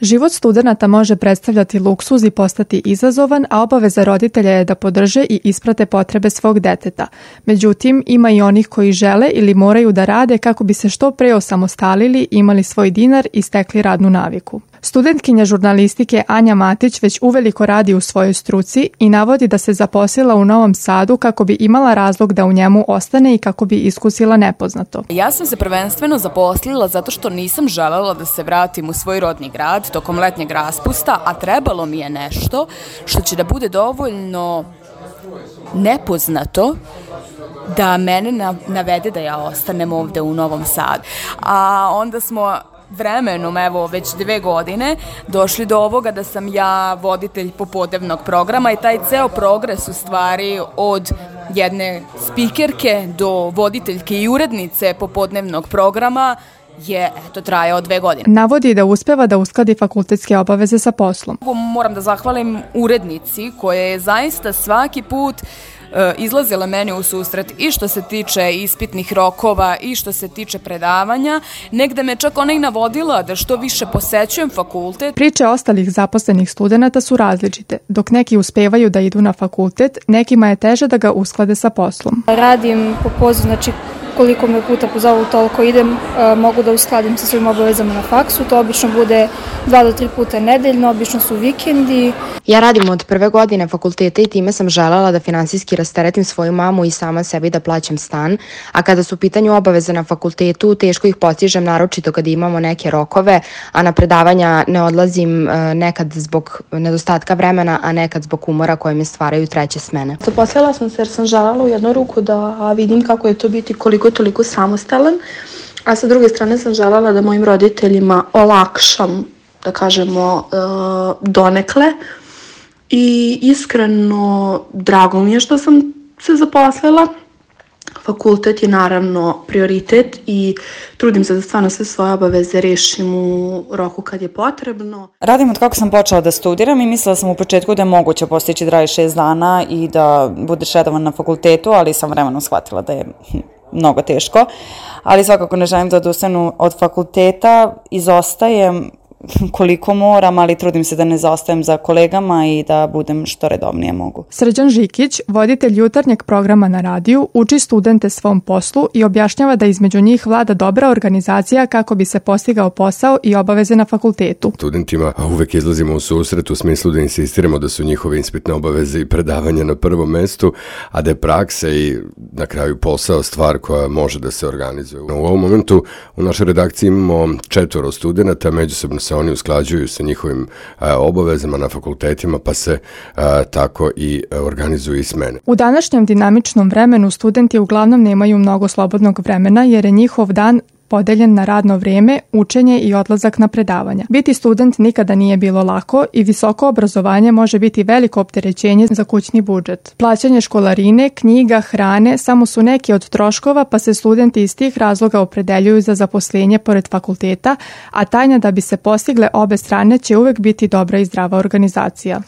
Život studenata može predstavljati luksuz i postati izazovan, a obaveza roditelja je da podrže i isprate potrebe svog deteta. Međutim, ima i onih koji žele ili moraju da rade kako bi se što pre osamostalili, imali svoj dinar i stekli radnu naviku. Studentkinja žurnalistike Anja Matić već uveliko radi u svojoj struci i navodi da se zaposlila u Novom Sadu kako bi imala razlog da u njemu ostane i kako bi iskusila nepoznato. Ja sam se prvenstveno zaposlila zato što nisam želela da se vratim u svoj rodni grad tokom letnjeg raspusta, a trebalo mi je nešto što će da bude dovoljno nepoznato da mene navede da ja ostanem ovde u Novom Sadu. A onda smo vremenom, evo već 2 godine, došli do ovoga da sam ja voditelj popodnevnog programa i taj ceo progres u stvari od jedne spikerke do voditeljke i urednice popodnevnog programa je, trajao 2 godine. Navodi da uspeva da uskladi fakultetske obaveze sa poslom. Moram da zahvalim urednici koja je zaista svaki put izlazila meni u susret i što se tiče ispitnih rokova i što se tiče predavanja. Negde me čak ona i navodila da što više posećujem fakultet. Priče ostalih zaposlenih studenata su različite. Dok neki uspevaju da idu na fakultet, nekima je teže da ga usklade sa poslom. Radim po pozivu, znači koliko me puta pozovu, toliko idem, mogu da uskladim sa svojim obavezama na faksu. To obično bude 2 do 3 puta nedeljno, obično su vikendi. Ja radim od prve godine fakulteta i time sam želela da finansijski rasteretim svoju mamu i sama sebi da plaćam stan, a kada su u pitanju obaveze na fakultetu, teško ih postižem, naročito kada imamo neke rokove, a na predavanja ne odlazim nekad zbog nedostatka vremena, a nekad zbog umora koje mi stvaraju treće smene. Zaposlila sam se jer sam želela u jednu ruku da vidim kako je to biti koliko toliko samostalan, a sa druge strane sam želela da mojim roditeljima olakšam, da kažemo, donekle. I iskreno drago mi je što sam se zaposlila. Fakultet je naravno prioritet i trudim se da stvarno sve svoje obaveze rešim u roku kad je potrebno. Radim od kako sam počela da studiram i mislila sam u početku da je moguće postići 26 dana i da budeš redovan na fakultetu, ali sam vremenom shvatila da je mnogo teško. Ali svakako ne želim da odustanem od fakulteta, izostajem koliko moram, ali trudim se da ne zaostajem za kolegama i da budem što redovnije mogu. Srđan Žikić, voditelj jutarnjeg programa na radiju, uči studente svom poslu i objašnjava da između njih vlada dobra organizacija kako bi se postigao posao i obaveze na fakultetu. Studentima uvek izlazimo u susret u smislu da insistiramo da su njihove ispitne obaveze i predavanja na prvom mestu, a da je praksa i na kraju posao stvar koja može da se organizuje. U ovom momentu u našoj redakciji imamo 4 studenata, međusobno se oni usklađuju sa njihovim obavezama na fakultetima, pa se tako i organizuju i smene. U današnjem dinamičnom vremenu studenti uglavnom nemaju mnogo slobodnog vremena jer je njihov dan podeljen na radno vreme, učenje i odlazak na predavanja. Biti student nikada nije bilo lako i visoko obrazovanje može biti veliko opterećenje za kućni budžet. Plaćanje školarine, knjiga, hrane samo su neki od troškova, pa se studenti iz tih razloga opredeljuju za zaposlenje pored fakulteta, a tajna da bi se postigle obe strane će uvek biti dobra i zdrava organizacija.